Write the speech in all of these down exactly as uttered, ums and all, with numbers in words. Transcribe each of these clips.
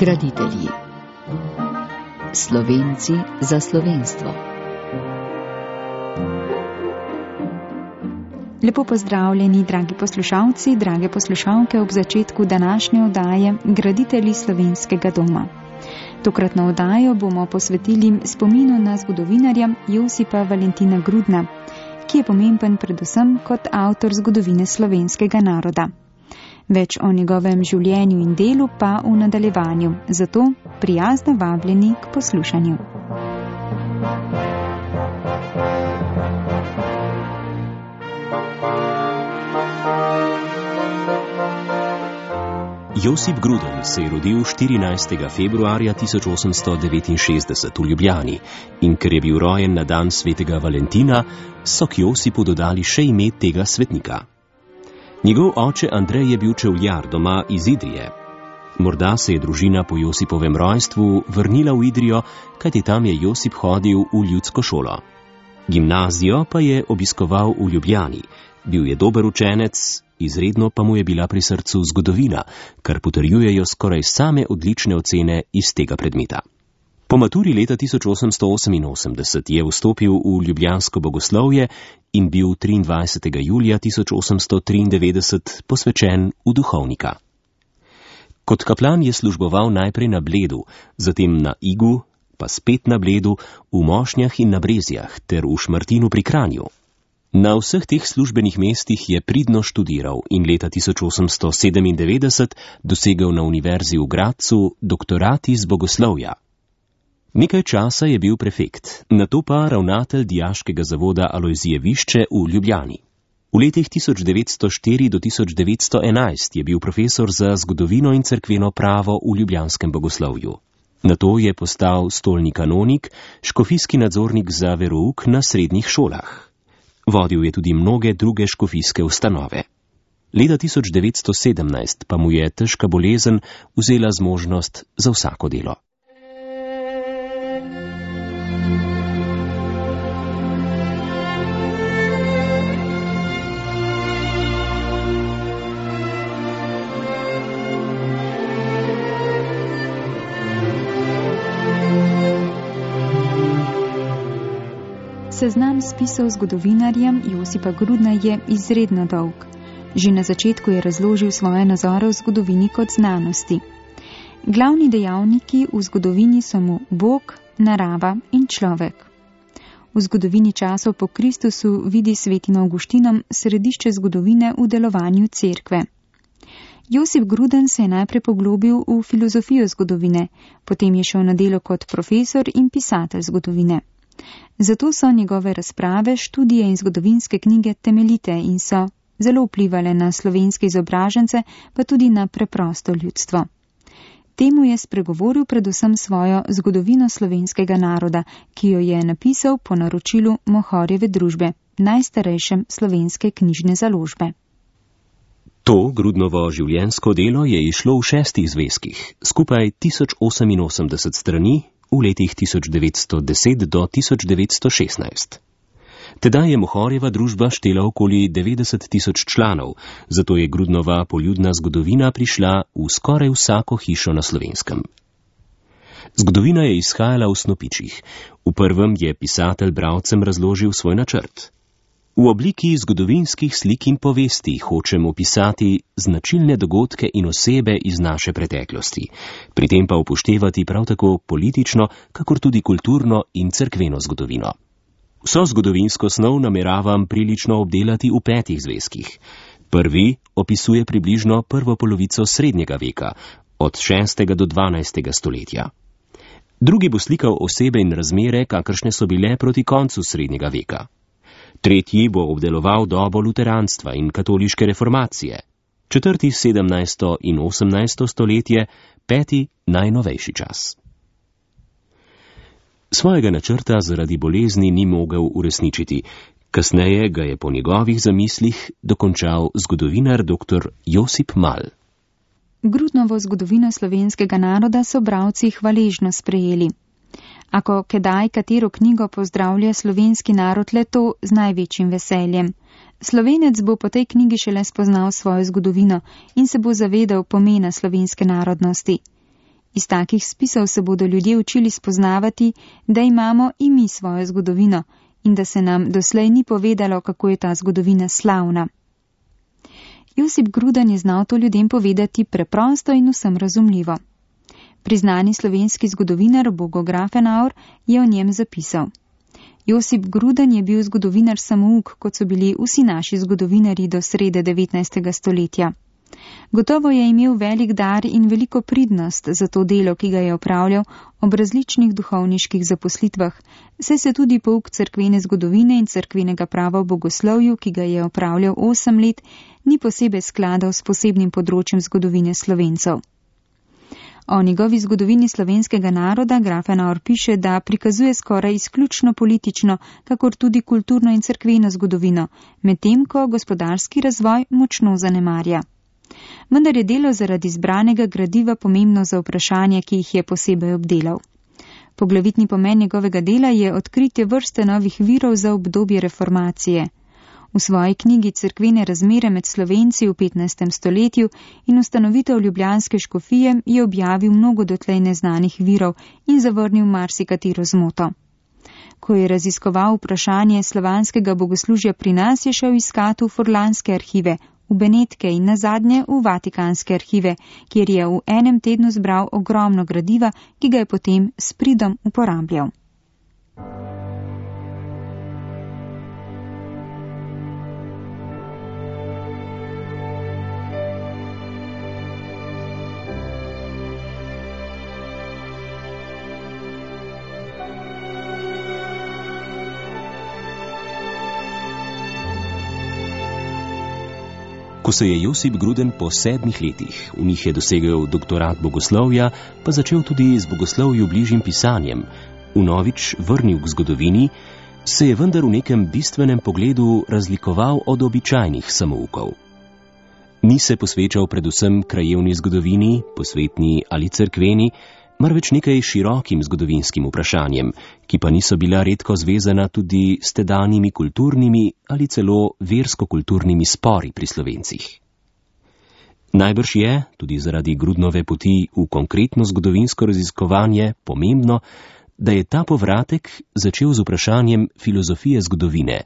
Graditelji. Slovenci za slovenstvo. Lepo pozdravljeni, dragi poslušalci, drage poslušalke ob začetku današnje oddaje Graditelji slovenskega doma. Tokratno oddajo bomo posvetili spominu na zgodovinarja Josipa Valentina Grudna, ki je pomemben predvsem kot avtor zgodovine slovenskega naroda. Več o njegovem življenju in delu pa v nadaljevanju, zato prijazno vabljeni k poslušanju. Josip Gruden se je rodil štirinajstega februarja tisoč osemsto devetinšestdeset v Ljubljani in ker je bil rojen na dan svetega Valentina, so k Josipu dodali še ime tega svetnika. Njegov oče Andrej je bil čevljar doma iz Idrije. Morda se je družina po Josipovem rojstvu vrnila v Idrijo, kajti tam je Josip hodil v ljudsko šolo. Gimnazijo pa je obiskoval v Ljubljani. Bil je dober učenec, izredno pa mu je bila pri srcu zgodovina, kar potrjujejo skoraj same odlične ocene iz tega predmeta. Po maturi leta tisoč osemsto oseminosemdeset je vstopil v ljubljansko bogoslovje in bil triindvajsetega julija tisoč osemsto triindevetdeset posvečen v duhovnika. Kot kaplan je služboval najprej na Bledu, zatem na Igu, pa spet na Bledu, v Mošnjah in na Brezjah ter v Šmartinu pri Kranju. Na vseh teh službenih mestih je pridno študiral in leta tisoč osemsto sedemindevetdeset dosegel na univerzi v Gradcu doktorat iz bogoslovja. Nekaj časa je bil prefekt, nato pa ravnatelj dijaškega zavoda Alojzijevišče v Ljubljani. V letih tisoč devetsto štiri do tisoč devetsto enajst je bil profesor za zgodovino in cerkveno pravo v ljubljanskem bogoslovju. Nato je postal stolni kanonik, škofijski nadzornik za verouk na srednjih šolah. Vodil je tudi mnoge druge škofijske ustanove. Leta tisoč devetsto sedemnajst pa mu je težka bolezen vzela zmožnost za vsako delo. Seznam spisov zgodovinarja Josipa Grudna je izredno dolg. Že na začetku je razložil svoje nazore v zgodovini kot znanosti. Glavni dejavniki v zgodovini so mu Bog, narava in človek. V zgodovini časov po Kristusu vidi svetim Avguštinom središče zgodovine v delovanju cerkve. Josip Gruden se je najprej poglobil v filozofijo zgodovine, potem je šel na delo kot profesor in pisatelj zgodovine. Zato so njegove razprave, študije in zgodovinske knjige temeljite in so zelo vplivale na slovenske izobražence, pa tudi na preprosto ljudstvo. Temu je spregovoril predvsem svojo zgodovino slovenskega naroda, ki jo je napisal po naročilu Mohorjeve družbe, najstarejšem slovenske knjižne založbe. To Grudnovo življenjsko delo je izšlo v šestih zvezkih, skupaj tisoč oseminosemdeset strani, v letih tisoč devetsto deset do tisoč devetsto šestnajst. Tedaj je Mohorjeva družba štela okoli devetdeset tisoč članov, zato je Grudnova poljudna zgodovina prišla v skoraj vsako hišo na Slovenskem. Zgodovina je izhajala v snopičih. V prvem je pisatelj bralcem razložil svoj načrt. V obliki zgodovinskih slik in povesti hočem opisati značilne dogodke in osebe iz naše preteklosti, pri tem pa upoštevati prav tako politično, kakor tudi kulturno in cerkveno zgodovino. Vso zgodovinsko snov nameravam prilično obdelati v petih zvezkih. Prvi opisuje približno prvo polovico srednjega veka, od šestega do dvanajstega stoletja. Drugi bo slikal osebe in razmere, kakršne so bile proti koncu srednjega veka. Tretji bo obdeloval dobo luteranstva in katoliške reformacije, četrti sedemnajsto in osemnajsto stoletje, peti najnovejši čas. Svojega načrta zaradi bolezni ni mogel uresničiti, kasneje ga je po njegovih zamislih dokončal zgodovinar dr. Josip Mal. Grudnovo zgodovino slovenskega naroda so bralci hvaležno sprejeli. Ako kedaj katero knjigo pozdravlja slovenski narod le to z največjim veseljem. Slovenec bo po tej knjigi šele spoznal svojo zgodovino in se bo zavedal pomena slovenske narodnosti. Iz takih spisov se bodo ljudje učili spoznavati, da imamo i mi svojo zgodovino in da se nam doslej ni povedalo, kako je ta zgodovina slavna. Josip Gruden je znal to ljudem povedati preprosto in vsem razumljivo. Priznani slovenski zgodovinar Bogo Grafenauer je o njem zapisal: Josip Gruden je bil zgodovinar samouk, kot so bili vsi naši zgodovinarji do srede devetnajstega stoletja. Gotovo je imel velik dar in veliko pridnost za to delo, ki ga je opravljal ob različnih duhovniških zaposlitvah, saj se tudi pouk cerkvene zgodovine in cerkvenega prava v bogoslovju, ki ga je opravljal osem let, ni posebej skladal s posebnim področjem zgodovine Slovencev. O njegovi zgodovini slovenskega naroda Grafenauer piše, da prikazuje skoraj izključno politično, kakor tudi kulturno in cerkveno zgodovino, medtem ko gospodarski razvoj močno zanemarja. Vendar je delo zaradi izbranega gradiva pomembno za vprašanje, ki jih je posebej obdelal. Poglavitni pomen njegovega dela je odkritje vrste novih virov za obdobje reformacije. V svoji knjigi Cerkvene razmere med Slovenci v petnajstem stoletju in ustanovitev ljubljanske škofije je objavil mnogo dotlej neznanih virov in zavrnil marsikatero zmoto. Ko je raziskoval vprašanje slovanskega bogoslužja pri nas, je šel iskat v furlanske arhive, v Benetke in nazadnje v vatikanske arhive, kjer je v enem tednu zbral ogromno gradiva, ki ga je potem s pridom uporabljal. Ko se je Josip Gruden po sedmih letih, v njih je dosegel doktorat bogoslovja, pa začel tudi z bogoslovju bližjim pisanjem, vnovič vrnil k zgodovini, se je vendar v nekem bistvenem pogledu razlikoval od običajnih samoukov. Ni se posvečal predvsem krajevni zgodovini, posvetni ali cerkveni, marveč nekaj širokim zgodovinskim vprašanjem, ki pa niso bila redko zvezana tudi s tedanjimi kulturnimi ali celo versko-kulturnimi spori pri Slovencih. Najbrž je, tudi zaradi Grudnove poti v konkretno zgodovinsko raziskovanje, pomembno, da je ta povratek začel z vprašanjem filozofije zgodovine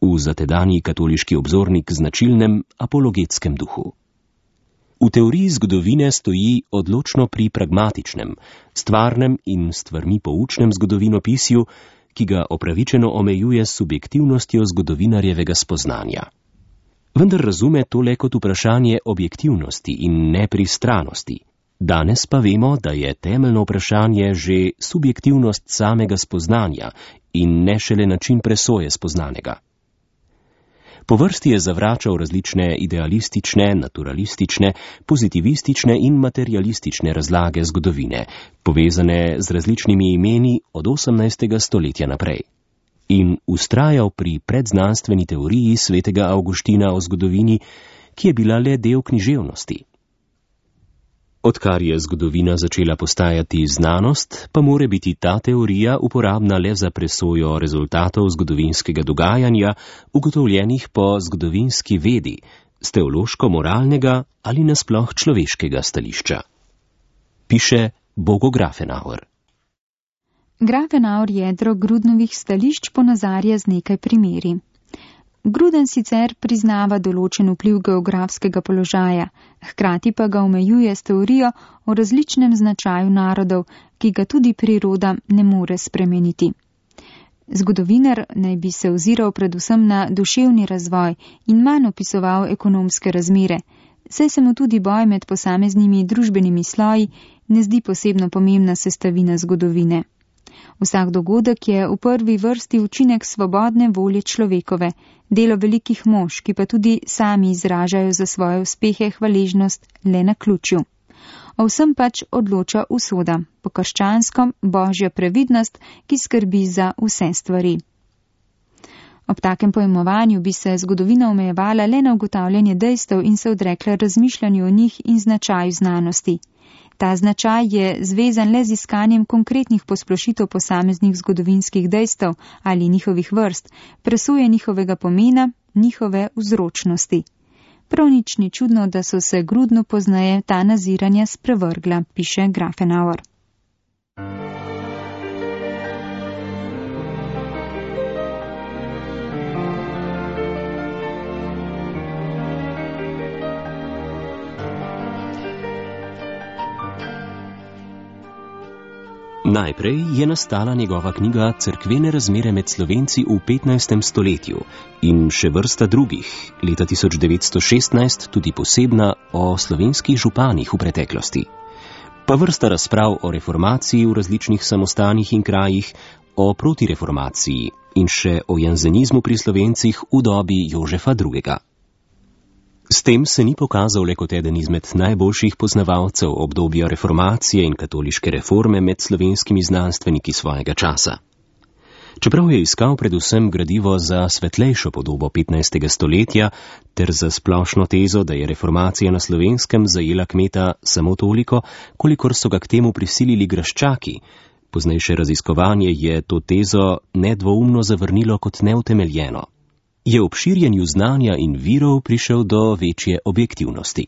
v za tedanji katoliški obzornik značilnem apologetskem duhu. V teoriji zgodovine stoji odločno pri pragmatičnem, stvarnem in stvarmi poučnem zgodovinopisju, ki ga opravičeno omejuje s subjektivnostjo zgodovinarjevega spoznanja. Vendar razume to le kot vprašanje objektivnosti in nepristranosti. Danes pa vemo, da je temeljno vprašanje že subjektivnost samega spoznanja in ne šele način presoje spoznanega. Po vrsti je zavračal različne idealistične, naturalistične, pozitivistične in materialistične razlage zgodovine, povezane z različnimi imeni od osemnajstega stoletja naprej. In vztrajal pri predznanstveni teoriji svetega Avguština o zgodovini, ki je bila le del književnosti. Odkar je zgodovina začela postajati znanost, pa more biti ta teorija uporabna le za presojo rezultatov zgodovinskega dogajanja, ugotovljenih po zgodovinski vedi, z teološko-moralnega ali nasploh človeškega stališča. Piše Bogo Grafenauer. Grafenauer jedro Grudnovih stališč ponazarja z nekaj primeri. Gruden sicer priznava določen vpliv geografskega položaja, hkrati pa ga omejuje s teorijo o različnem značaju narodov, ki ga tudi priroda ne more spremeniti. Zgodovinar naj bi se oziral predvsem na duševni razvoj in manj opisoval ekonomske razmere, saj se mu tudi boj med posameznimi družbenimi sloji ne zdi posebno pomembna sestavina zgodovine. Vsak dogodek je v prvi vrsti učinek svobodne volje človekove, delo velikih mož, ki pa tudi sami izražajo za svoje uspehe hvaležnost le na ključju. O vsem pač odloča usoda, po krščanskom božja previdnost, ki skrbi za vse stvari. Ob takem pojmovanju bi se zgodovina omejevala le na ugotavljanje dejstev in se odrekla razmišljanju o njih in značaju znanosti. Ta značaj je zvezan le z iskanjem konkretnih posplošitev posameznih zgodovinskih dejstev ali njihovih vrst, presuje njihovega pomena, njihove vzročnosti. Prav nič ni čudno, da so se Grudnu pozneje ta naziranja sprevrgla, piše Grafenauer. Najprej je nastala njegova knjiga Cerkvene razmere med Slovenci v petnajstem stoletju in še vrsta drugih, leta tisoč devetsto šestnajst tudi posebna o slovenskih županih v preteklosti. Pa vrsta razprav o reformaciji v različnih samostanih in krajih, o protireformaciji in še o janzenizmu pri Slovencih v dobi Jožefa drugega. S tem se ni pokazal le kot eden izmed najboljših poznavalcev obdobja reformacije in katoliške reforme med slovenskimi znanstveniki svojega časa. Čeprav je iskal predvsem gradivo za svetlejšo podobo petnajstega stoletja ter za splošno tezo, da je reformacija na Slovenskem zajela kmeta samo toliko, kolikor so ga k temu prisilili graščaki, poznejše raziskovanje je to tezo nedvoumno zavrnilo kot neutemeljeno. Je ob širjenju znanja in virov prišel do večje objektivnosti.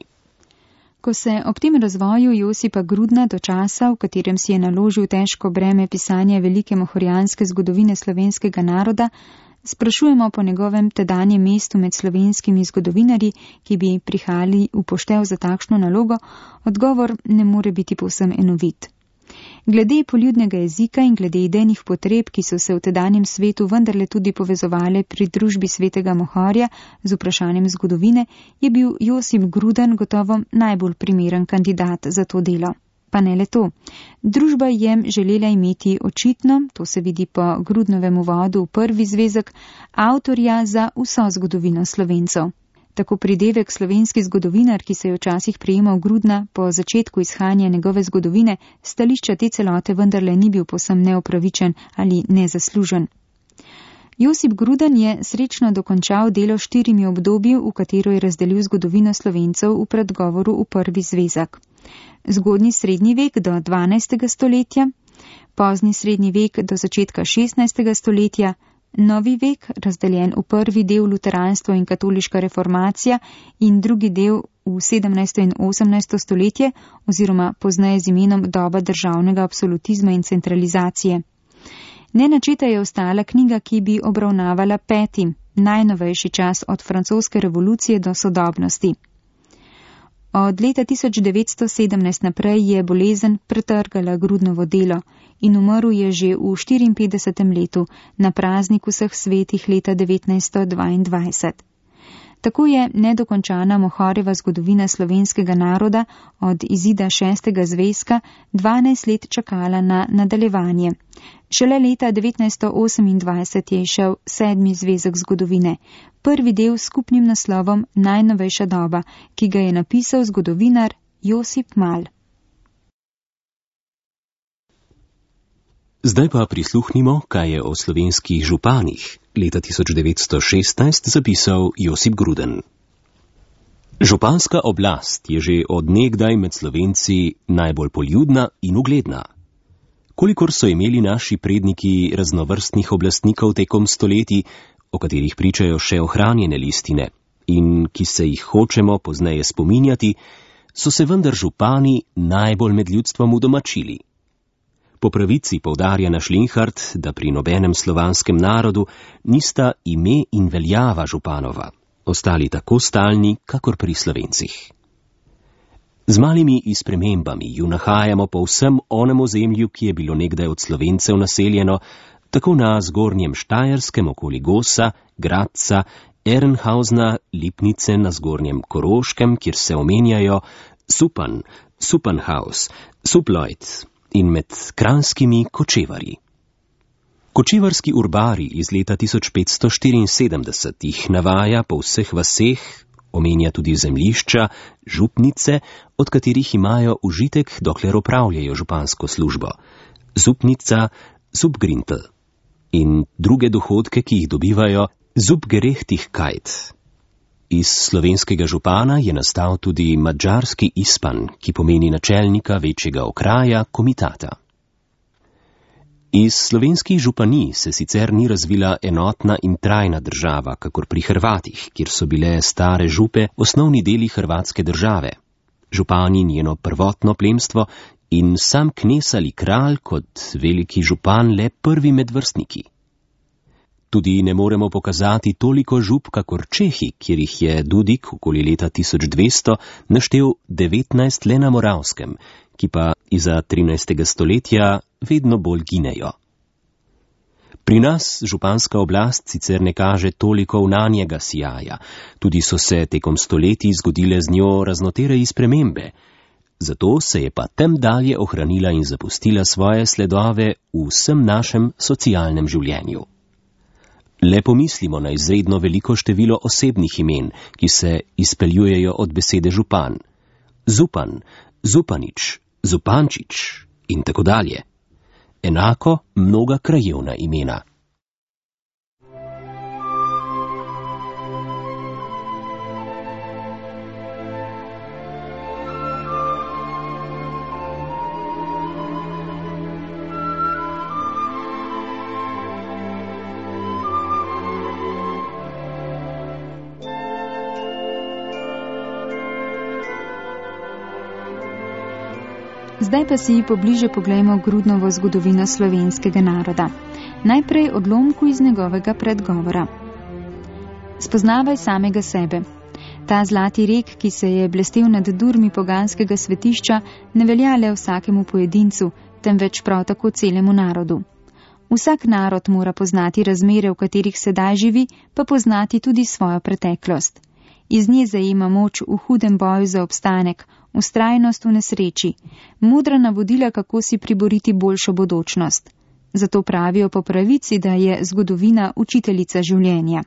Ko se ob tem razvoju Josipa Grudna do časa, v katerem si je naložil težko breme pisanja velike mohorijanske zgodovine slovenskega naroda, sprašujemo po njegovem tedanjem mestu med slovenskimi zgodovinarji, ki bi prihajali v poštev za takšno nalogo, odgovor ne more biti povsem enovit. Glede poljudnega jezika in glede idejnih potreb, ki so se v tedanjem svetu vendarle tudi povezovale pri družbi svetega Mohorja z vprašanjem zgodovine, je bil Josip Gruden gotovo najbolj primeren kandidat za to delo. Pa ne le to. Družba je želela imeti očitno, to se vidi po Grudnovem uvodu v prvi zvezek, avtorja za vso zgodovino Slovencev. Tako pridevek slovenski zgodovinar, ki se je včasih prijemal Grudna po začetku izhajanja njegove zgodovine, stališča te celote vendarle ni bil povsem neopravičen ali nezaslužen. Josip Gruden je srečno dokončal delo štirimi obdobji, v katero je razdelil zgodovino Slovencev v predgovoru v prvi zvezek. Zgodnji srednji vek do dvanajstega stoletja, pozni srednji vek do začetka šestnajstega stoletja, novi vek, razdeljen v prvi del luteranstvo in katoliška reformacija in drugi del v sedemnajsto in osemnajsto stoletje oziroma pozneje z imenom doba državnega absolutizma in centralizacije. Nenačeta je ostala knjiga, ki bi obravnavala peti, najnovejši čas od francoske revolucije do sodobnosti. Od leta tisoč devetsto sedemnajst naprej je bolezen pretrgala Grudnovo delo in umrl je že v štiriinpetdesetem letu na praznik vseh svetih leta devetnajststo dvaindvajset. Tako je nedokončana Mohorjeva zgodovina slovenskega naroda od izida šestega zvezka dvanajst let čakala na nadaljevanje. Šele leta devetnajststo osemindvajset je išel sedmi zvezek zgodovine, prvi del s skupnim naslovom Najnovejša doba, ki ga je napisal zgodovinar Josip Mal. Zdaj pa prisluhnimo, kaj je o slovenskih županih leta tisoč devetsto šestnajst zapisal Josip Gruden. Županska oblast je že od nekdaj med Slovenci najbolj poljudna in ugledna. Kolikor so imeli naši predniki raznovrstnih oblastnikov tekom stoletij, o katerih pričajo še ohranjene listine in ki se jih hočemo pozneje spominjati, so se vendar župani najbolj med ljudstvom udomačili. Po pravici poudarja naš Linhart, da pri nobenem slovanskem narodu nista ime in veljava županova, ostali tako stalni, kakor pri Slovencih. Z malimi izpremembami ju nahajamo po vsem onem ozemlju, ki je bilo nekdaj od Slovencev naseljeno, tako na zgornjem Štajerskem okoli Gosa, Gradca, Ehrenhausna, Lipnice na zgornjem Koroškem, kjer se omenjajo Supan, Supanhaus, Suploid in med kranjskimi kočevarji. Kočevarski urbari iz leta tisoč petsto štiriinsedemdeset jih navaja po vseh vaseh, omenja tudi zemljišča, župnice, od katerih imajo užitek, dokler opravljajo župansko službo. Zupnica, Zupgrintl in druge dohodke, ki jih dobivajo Zupgerechtigkeit. Iz slovenskega župana je nastal tudi madžarski ispan, ki pomeni načelnika večjega okraja, komitata. Iz slovenskih županij se sicer ni razvila enotna in trajna država, kakor pri Hrvatih, kjer so bile stare župe osnovni deli hrvatske države. Župani njeno prvotno plemstvo in sam knez ali kralj kot veliki župan le prvi med vrstniki. Tudi ne moremo pokazati toliko žup kakor Čehi, kjer jih je Dudik okoli leta tisoč dvesto naštel devetnajst le na Moravskem, ki pa iza trinajstega stoletja vedno bolj ginejo. Pri nas županska oblast sicer ne kaže toliko vnanjega sijaja, tudi so se tekom stoletij zgodile z njo raznotereji spremembe, zato se je pa tem dalje ohranila in zapustila svoje sledove v vsem našem socialnem življenju. Le pomislimo na izredno veliko število osebnih imen, ki se izpeljujejo od besede župan. Zupan, Zupanič, Zupančič in tako dalje. Enako mnoga krajevna imena. Zdaj pa si pobliže poglejmo Grudnovo zgodovino slovenskega naroda. Najprej odlomku iz njegovega predgovora. Spoznavaj samega sebe. Ta zlati rek, ki se je blestel nad durmi poganskega svetišča, ne velja le vsakemu pojedincu, temveč prav tako celemu narodu. Vsak narod mora poznati razmere, v katerih sedaj živi, pa poznati tudi svojo preteklost. Iz nje zajema moč v hudem boju za obstanek, vztrajnost v nesreči, modra navodila, kako si priboriti boljšo bodočnost. Zato pravijo po pravici, da je zgodovina učiteljica življenja.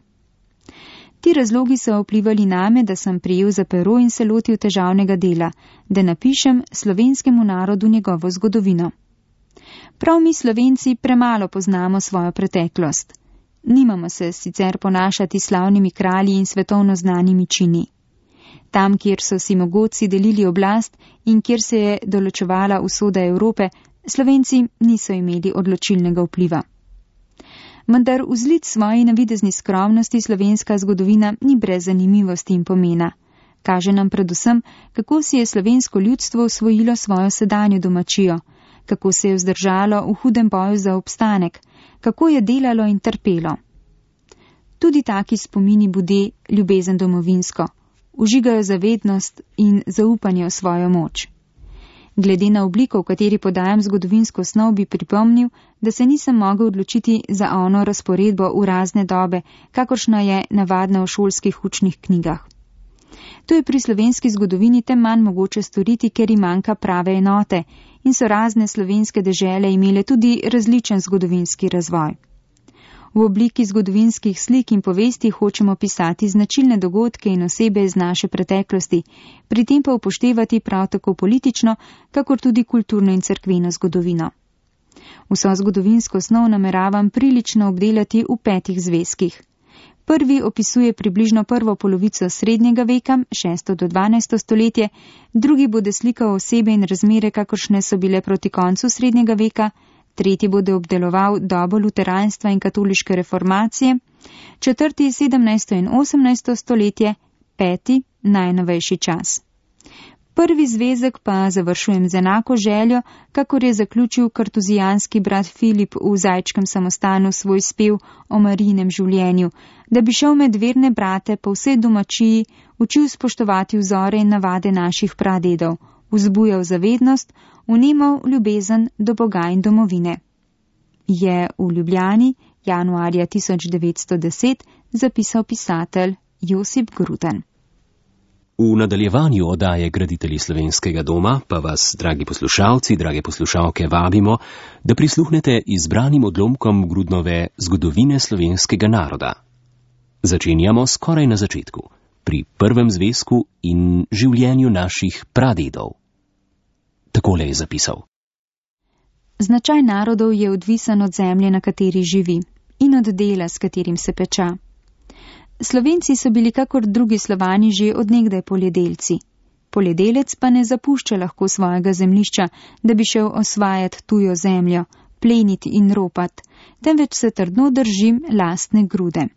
Ti razlogi so vplivali name, da sem prijel za pero in se lotil težavnega dela, da napišem slovenskemu narodu njegovo zgodovino. Prav mi Slovenci premalo poznamo svojo preteklost. Nimamo se sicer ponašati slavnimi kralji in svetovno znanimi čini. Tam, kjer so si mogoci delili oblast in kjer se je določevala usoda Evrope, Slovenci niso imeli odločilnega vpliva. Vendar vzlic svoji navidezni skromnosti slovenska zgodovina ni brez zanimivosti in pomena. Kaže nam predvsem, kako si je slovensko ljudstvo osvojilo svojo sedanjo domačijo, kako se je vzdržalo v hudem boju za obstanek, kako je delalo in trpelo. Tudi taki spomini bude ljubezen domovinsko, užigajo zavednost in zaupanje v svojo moč. Glede na obliko, v kateri podajam zgodovinsko snov, bi pripomnil, da se nisem mogel odločiti za ono razporedbo v razne dobe, kakršna je navadna v šolskih učnih knjigah. To je pri slovenski zgodovini tem manj mogoče storiti, ker jim manjka prave enote in so razne slovenske dežele imele tudi različen zgodovinski razvoj. V obliki zgodovinskih slik in povesti hočemo pisati značilne dogodke in osebe iz naše preteklosti, pri tem pa upoštevati prav tako politično, kakor tudi kulturno in cerkveno zgodovino. Vso zgodovinsko snov nameravam prilično obdelati v petih zvezkih. Prvi opisuje približno prvo polovico srednjega veka, šesto do dvanajsto stoletje, drugi bude slikal osebe in razmere, kakršne so bile proti koncu srednjega veka, tretji bude obdeloval dobo luteranstva in katoliške reformacije, četrti sedemnajsto in osemnajsto stoletje, peti najnovejši čas. Prvi zvezek pa završujem z enako željo, kakor je zaključil kartuzijanski brat Filip v Zajčkem samostanu svoj spev o Marijinem življenju, da bi šel med verne brate po vsej domačiji, učil spoštovati vzore in navade naših pradedov, vzbujal zavednost, vnemal ljubezen do Boga in domovine. Je v Ljubljani januarja tisoč devetsto deset zapisal pisatelj Josip Gruden. V nadaljevanju oddaje Graditelji slovenskega doma pa vas, dragi poslušalci, drage poslušalke, vabimo, da prisluhnete izbranim odlomkom Grudnove zgodovine slovenskega naroda. Začenjamo skoraj na začetku, pri prvem zvezku in življenju naših pradedov. Takole je zapisal. Značaj narodov je odvisen od zemlje, na kateri živi, in od dela, s katerim se peča. Slovenci so bili kakor drugi Slovani že od nekdaj poljedelci. Poljedelec pa ne zapušča lahko svojega zemljišča, da bi šel osvajati tujo zemljo, pleniti in ropat, temveč se trdno držim lastne grude.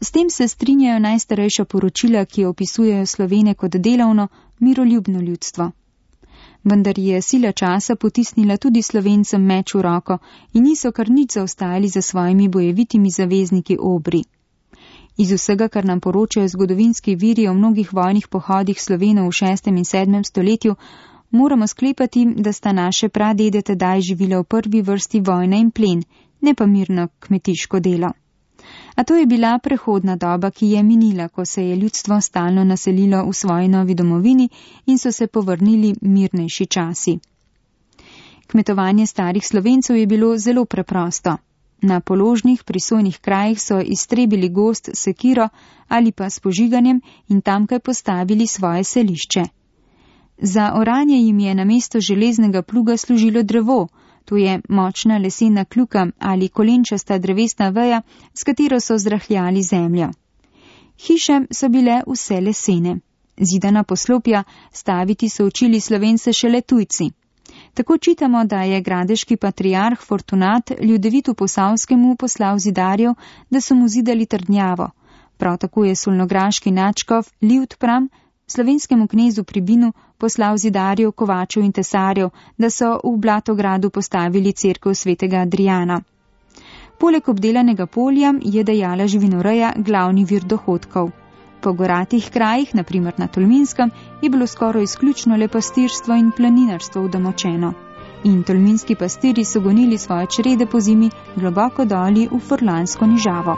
S tem se strinjajo najstarejša poročila, ki opisujejo Slovene kot delavno, miroljubno ljudstvo. Vendar je sila časa potisnila tudi Slovencem meč v roko in niso kar nič zaostajali za svojimi bojevitimi zavezniki Obri. Iz vsega, kar nam poročajo zgodovinski viri o mnogih vojnih pohodih Slovenov v šestem in sedmem stoletju, moramo sklepati, da sta naše pradede tedaj živela v prvi vrsti vojna in plen, ne pa mirno kmetiško delo. A to je bila prehodna doba, ki je minila, ko se je ljudstvo stalno naselilo v svoji novi domovini in so se povrnili mirnejši časi. Kmetovanje starih Slovencev je bilo zelo preprosto. Na položnih, prisojnih krajih so iztrebili gozd s sekiro ali pa s požiganjem in tamkaj postavili svoje selišče. Za oranje jim je namesto železnega pluga služilo drevo, to je močna lesena kljuka ali kolenčasta drevesna veja, s katero so zrahljali zemljo. Hiše so bile vse lesene. Zidana poslopja staviti so učili Slovence šele tujci. Tako čitamo, da je gradeški patriarh Fortunat Ljudevitu Posavskemu poslal zidarjev, da so mu zidali trdnjavo. Prav tako je solnograški nadškof Livtpram slovenskemu knezu Pribinu poslal zidarjev, kovačev in tesarjev, da so v Blatogradu postavili cerkev svetega Adriana. Poleg obdelanega polja je dejala živinoreja glavni vir dohodkov. Po goratih krajih, naprimer na Tolminskem, je bilo skoraj izključno le pastirstvo in planinarstvo udomačeno. In tolminski pastiri so gonili svoje črede po zimi globoko doli v Furlansko nižavo.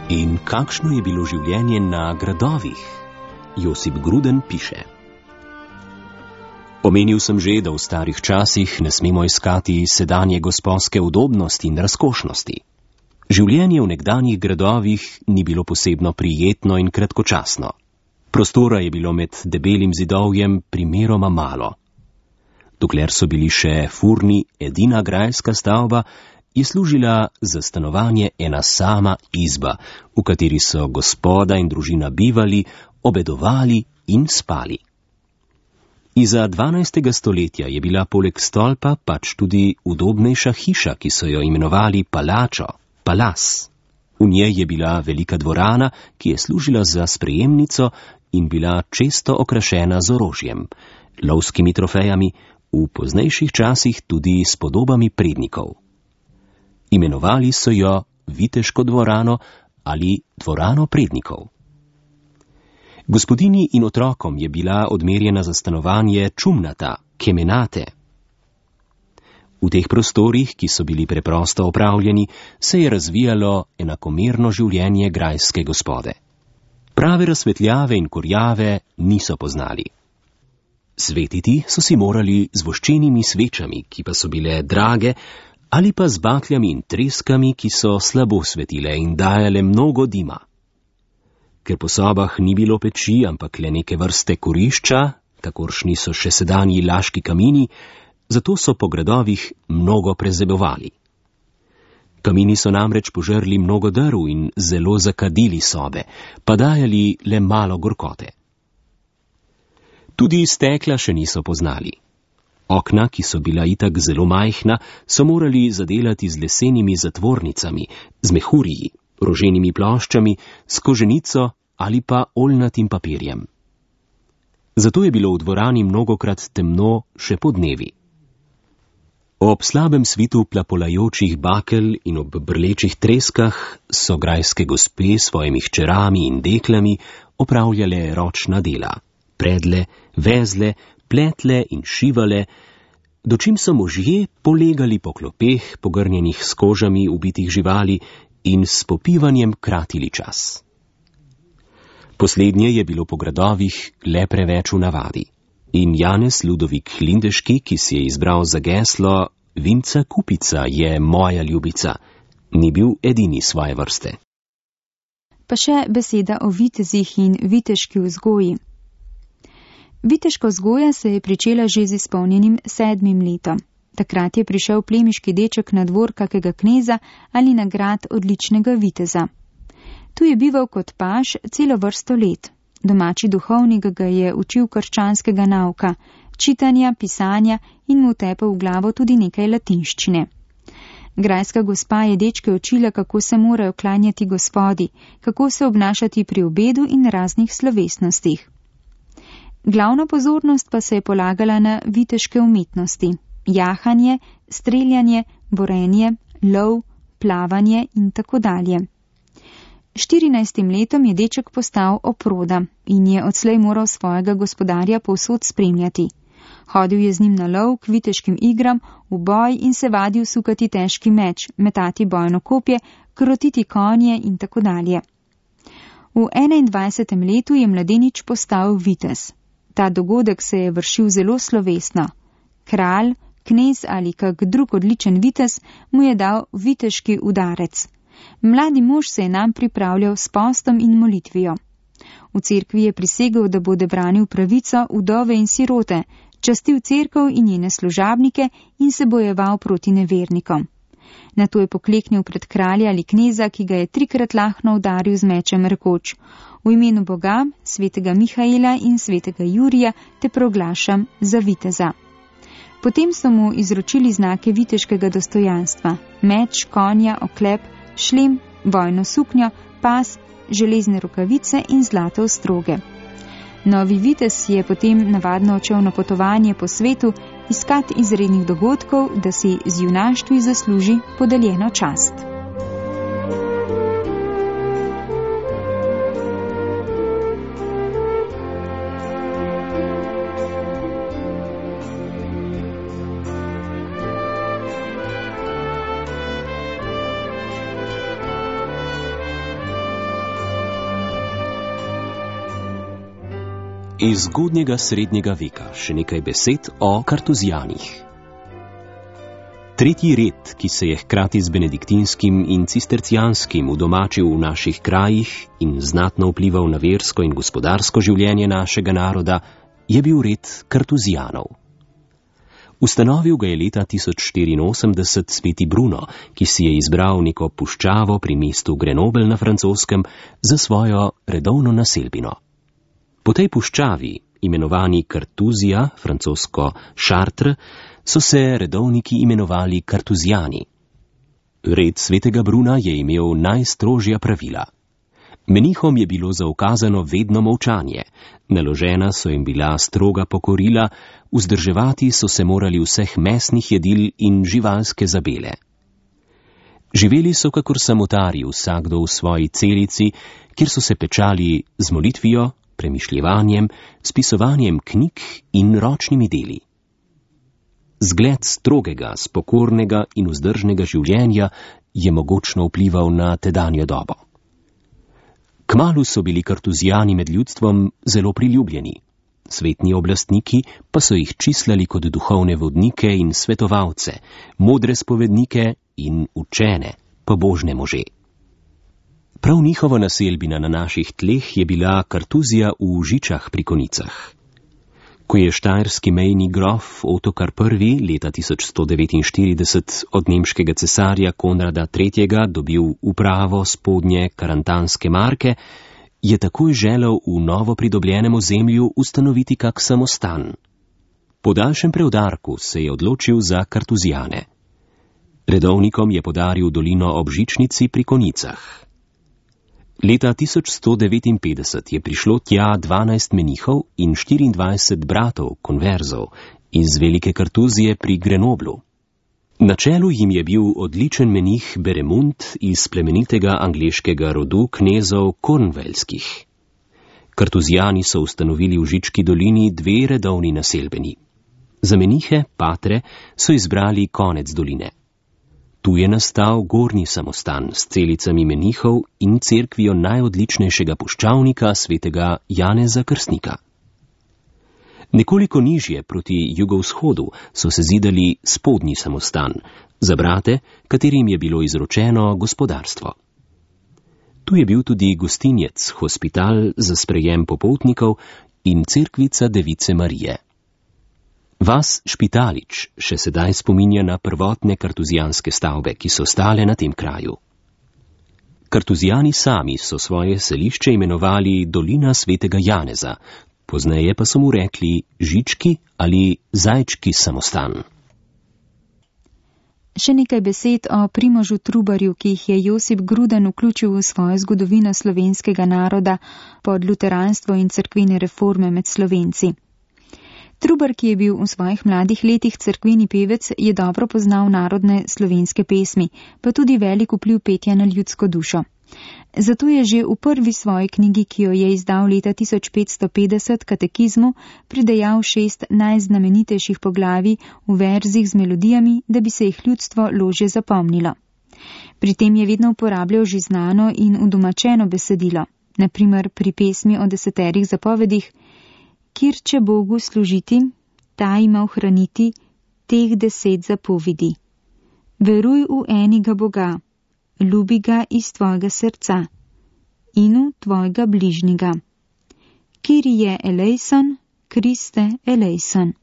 In kakšno je bilo življenje na gradovih? Josip Gruden piše. Omenil sem že, da v starih časih ne smemo iskati sedanje gospodske udobnosti in razkošnosti. Življenje v nekdanjih gradovih ni bilo posebno prijetno in kratkočasno. Prostora je bilo med debelim zidovjem primeroma malo. Dokler so bili še furni edina grajska stavba, je služila za stanovanje ena sama izba, v kateri so gospoda in družina bivali, obedovali in spali. Iza dvanajstega stoletja je bila poleg stolpa pač tudi udobnejša hiša, ki so jo imenovali palačo, palas. V njej je bila velika dvorana, ki je služila za sprejemnico in bila često okrašena z orožjem, lovskimi trofejami, v poznejših časih tudi s podobami prednikov. Imenovali so jo Viteško dvorano ali dvorano prednikov. Gospodini in otrokom je bila odmerjena za stanovanje čumnata, kemenate. V teh prostorih, ki so bili preprosto opravljeni, se je razvijalo enakomerno življenje grajske gospode. Prave razsvetljave in kurjave niso poznali. Svetiti so si morali z voščenimi svečami, ki pa so bile drage, ali pa z bakljami in treskami, ki so slabo svetile in dajale mnogo dima. Ker po sobah ni bilo peči, ampak le neke vrste kurišča, kakoršni so še sedanji laški kamini, zato so po gradovih mnogo prezebovali. Kamini so namreč požrli mnogo drv in zelo zakadili sobe, pa dajali le malo gorkote. Tudi stekla še niso poznali. Okna, ki so bila itak zelo majhna, so morali zadelati z lesenimi zatvornicami, z mehuriji, roženimi ploščami, s koženico ali pa oljnatim papirjem. Zato je bilo v dvorani mnogokrat temno še po dnevi. Ob slabem svitu plapolajočih bakel in ob brlečih treskah so grajske gospe s svojimi hčerami in deklami opravljale ročna dela, predle, vezle, pletle in šivale, dočim so možje polegali po klopeh, pogrnjenih s kožami ubitih živali in s popivanjem kratili čas. Poslednje je bilo po gradovih le preveč v navadi in Janez Ludovik Lindeški, ki si je izbral za geslo Vinca Kupica je moja ljubica, ni bil edini svoje vrste. Pa še beseda o vitezih in viteški vzgoji. Viteška vzgoja se je pričela že z izpolnjenim sedmim letom. Takrat je prišel plemiški deček na dvor kakega kneza ali na grad odličnega viteza. Tu je bival kot paž celo vrsto let. Domači duhovnik ga je učil krščanskega nauka, čitanja, pisanja in mu tepel v glavo tudi nekaj latinščine. Grajska gospa je dečke učila, kako se morajo klanjati Gospodi, kako se obnašati pri obedu in raznih slovesnostih. Glavna pozornost pa se je polagala na viteške umetnosti, jahanje, streljanje, borenje, lov, plavanje in tako dalje. štirinajstim letom je deček postal oproda in je odslej moral svojega gospodarja povsod spremljati. Hodil je z njim na lov, k viteškim igram, v boj in se vadil sukati težki meč, metati bojno kopje, krotiti konje in tako dalje. V enaindvajsetem letu je mladenič postal vitez. Ta dogodek se je vršil zelo slovesno. Kralj, knez ali kak drug odličen vitez mu je dal viteški udarec. Mladi mož se je nam pripravljal s postom in molitvijo. V cerkvi je prisegel, da bude branil pravico, vdove in sirote, častil cerkev in njene služabnike in se bojeval proti nevernikom. Nato je pokleknil pred kralja ali kneza, ki ga je trikrat lahno udaril z mečem, rekoč: v imenu Boga, svetega Mihaela in svetega Jurija te proglašam za viteza. Potem so mu izročili znake viteškega dostojanstva, meč, konja, oklep, šlem, vojno suknjo, pas, železne rokavice in zlate ostroge. Novi vitez je potem navadno odšel na potovanje po svetu, iskat izrednih dogodkov, da si z junaštvi zasluži podeljeno čast. Iz zgodnjega srednjega veka še nekaj besed o kartuzijanih. Tretji red, ki se je hkrati z benediktinskim in cistercijanskim udomačil v naših krajih in znatno vplival na versko in gospodarsko življenje našega naroda, je bil red kartuzijanov. Ustanovil ga je leta tisoč štiriinosemdeset sveti Bruno, ki si je izbral neko puščavo pri mestu Grenoble na Francoskem za svojo redovno naselbino. Po tej puščavi, imenovani Kartuzija, francosko Chartres, so se redovniki imenovali kartuzijani. Red svetega Bruna je imel najstrožja pravila. Menihom je bilo zaukazano vedno molčanje, naložena so jim bila stroga pokorila, vzdrževati so se morali vseh mesnih jedil in živalske zabele. Živeli so kakor samotari, vsakdo v svoji celici, kjer so se pečali z molitvijo, premišljevanjem, spisovanjem knjig in ročnimi deli. Zgled strogega, spokornega in vzdržnega življenja je mogočno vplival na tedanjo dobo. Kmalu so bili kartuzijani med ljudstvom zelo priljubljeni. Svetni oblastniki pa so jih čislali kot duhovne vodnike in svetovalce, modre spovednike in učene, pobožne može. Prav njihova naselbina na naših tleh je bila Kartuzija v Žičah pri Konicah. Ko je štajerski mejni grof Otokar I. leta tisoč sto devetinštirideset od nemškega cesarja Konrada tretjega dobil upravo spodnje karantanske marke, je takoj želel v novo pridobljenem ozemlju ustanoviti kak samostan. Po daljšem preudarku se je odločil za kartuzijane. Redovnikom je podaril dolino ob Žičnici pri Konicah. Leta tisoč sto devetinpetdeset je prišlo tja dvanajst menihov in štiriindvajset bratov, konverzov, iz Velike Kartuzije pri Grenoblu. Na čelu jim je bil odličen menih Beremund iz plemenitega angleškega rodu knezov Kornvelskih. Kartuzijani so ustanovili v Žički dolini dve redovni naselbeni. Za menihe, patre, so izbrali konec doline. Tu je nastal gornji samostan s celicami menihov in cerkvijo najodličnejšega puščavnika svetega Janeza Krstnika. Nekoliko nižje proti jugovzhodu so se zidali spodnji samostan, za brate, katerim je bilo izročeno gospodarstvo. Tu je bil tudi gostinec, hospital za sprejem popotnikov in cerkvica Device Marije. Vas Špitalič še sedaj spominja na prvotne kartuzijanske stavbe, ki so stale na tem kraju. Kartuzijani sami so svoje selišče imenovali Dolina svetega Janeza, pozneje pa so mu rekli Žički ali Zajčki samostan. Še nekaj besed o Primožu Trubarju, ki jih je Josip Gruden vključil v svojo zgodovino slovenskega naroda pod luteranstvo in cerkvene reforme med Slovenci. Trubar, ki je bil v svojih mladih letih cerkveni pevec, je dobro poznal narodne slovenske pesmi, pa tudi velik vpliv petja na ljudsko dušo. Zato je že v prvi svoji knjigi, ki jo je izdal leta tisoč petsto petdeset, Katekizmu, pridejal šest najznamenitejših poglavij v verzih z melodijami, da bi se jih ljudstvo ložje zapomnilo. Pri tem je vedno uporabljal že znano in udomačeno besedilo, naprimer pri pesmi o deseterih zapovedih: Kjer če Bogu služiti, ta ima ohraniti teh deset zapovedi. Veruj v enega Boga, ljubi ga iz tvojega srca in v tvojega bližnjega. Kyrie eleison, Kriste eleison.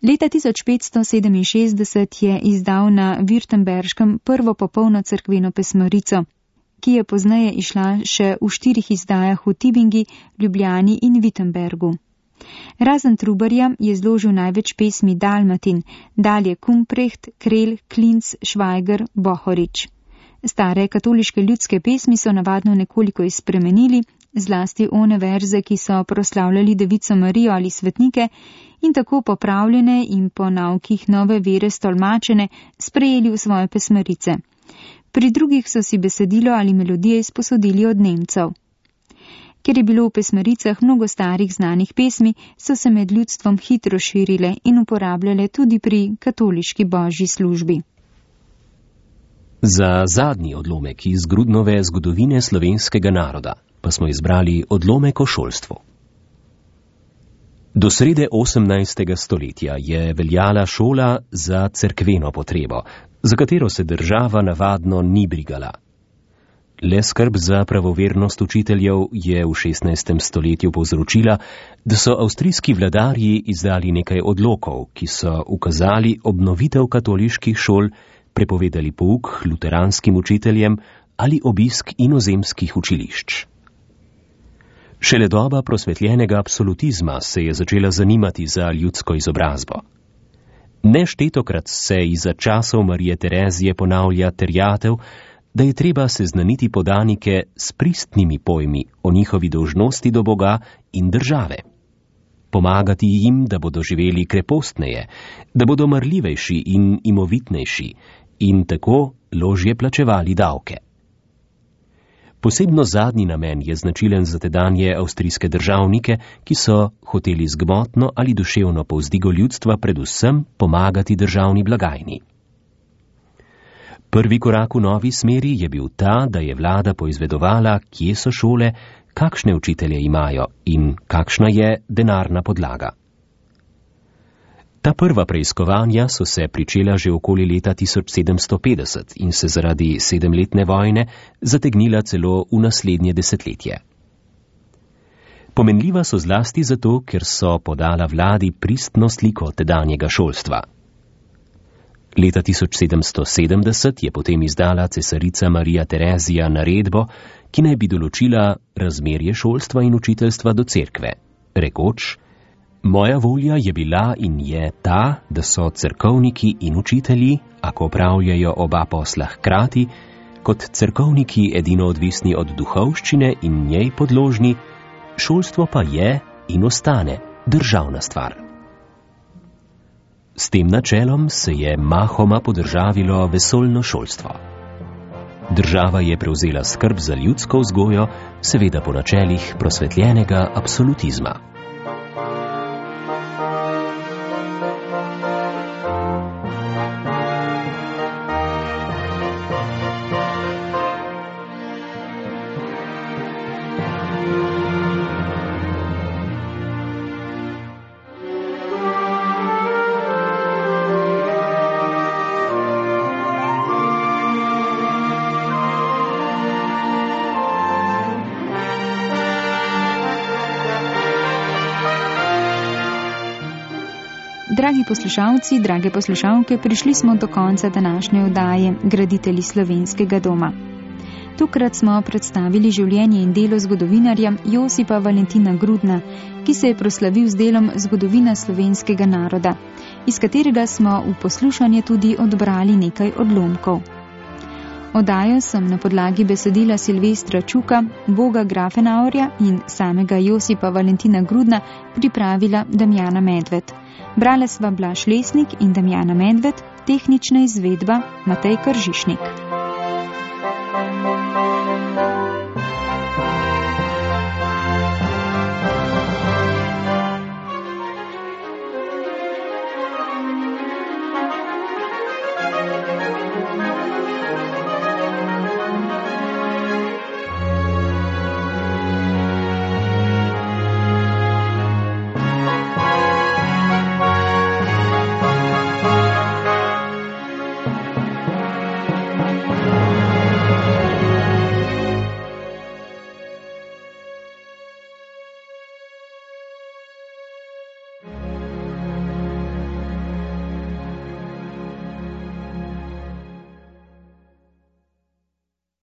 Leta tisoč petsto sedeminšestdeset je izdal na Württemberškem prvo popolno cerkveno pesmarico, ki je pozneje išla še v štirih izdajah v Tibingi, Ljubljani in Wittenbergu. Razen Trubarja je zložil največ pesmi Dalmatin, dalje Kumprecht, Krelj, Klinc, Švajger, Bohorič. Stare katoliške ljudske pesmi so navadno nekoliko izspremenili, zlasti one verze, ki so proslavljali Devico Marijo ali svetnike, in tako popravljene in po naukih nove vere stolmačene sprejeli v svoje pesmarice. Pri drugih so si besedilo ali melodije izposodili od Nemcev. Ker je bilo v pesmaricah mnogo starih znanih pesmi, so se med ljudstvom hitro širile in uporabljale tudi pri katoliški božji službi. Za zadnji odlomek iz Grudnove zgodovine slovenskega naroda pa smo izbrali odlomek o šolstvu. Do srede osemnajstega stoletja je veljala šola za cerkveno potrebo, za katero se država navadno ni brigala. Le skrb za pravovernost učiteljev je v šestnajstem stoletju povzročila, da so avstrijski vladarji izdali nekaj odlokov, ki so ukazali obnovitev katoliških šol, prepovedali pouk luteranskim učiteljem ali obisk inozemskih učilišč. Šele doba prosvetljenega absolutizma se je začela zanimati za ljudsko izobrazbo. Neštetokrat se iza časov Marije Terezije ponavlja terjatev, da je treba seznaniti podanike s pristnimi pojmi o njihovi dolžnosti do Boga in države. Pomagati jim, da bodo živeli krepostneje, da bodo marljivejši in imovitnejši in tako ložje plačevali davke. Posebno zadnji namen je značilen za tedanje avstrijske državnike, ki so hoteli z gmotno ali duševno povzdigo ljudstva predvsem pomagati državni blagajni. Prvi korak v novi smeri je bil ta, da je vlada poizvedovala, kje so šole, kakšne učitelje imajo in kakšna je denarna podlaga. Ta prva preiskovanja so se pričela že okoli leta tisoč sedemsto petdeset in se zaradi sedemletne vojne zategnila celo v naslednje desetletje. Pomenljiva so zlasti zato, ker so podala vladi pristno sliko tedanjega šolstva. Leta tisoč sedemsto sedemdeset je potem izdala cesarica Marija Terezija naredbo, ki naj bi določila razmerje šolstva in učiteljstva do cerkve, rekoč: Moja volja je bila in je ta, da so cerkovniki in učitelji, ako opravljajo oba posla hkrati, kot cerkovniki edino odvisni od duhovščine in njej podložni, šolstvo pa je in ostane državna stvar. S tem načelom se je mahoma podržavilo vesoljno šolstvo. Država je prevzela skrb za ljudsko vzgojo, seveda po načelih prosvetljenega absolutizma. Dragi poslušalci, drage poslušalke, prišli smo do konca današnje oddaje Graditelji slovenskega doma. Tokrat smo predstavili življenje in delo zgodovinarja Josipa Valentina Grudna, ki se je proslavil z delom Zgodovina slovenskega naroda, iz katerega smo v poslušanje tudi odbrali nekaj odlomkov. Oddajo sem na podlagi besedila Silvestra Čuka, Boga Grafenaurja in samega Josipa Valentina Grudna pripravila Damjana Medved. Brale sva Blaž Lesnik in Damjana Medved, tehnična izvedba Matej Kržišnik.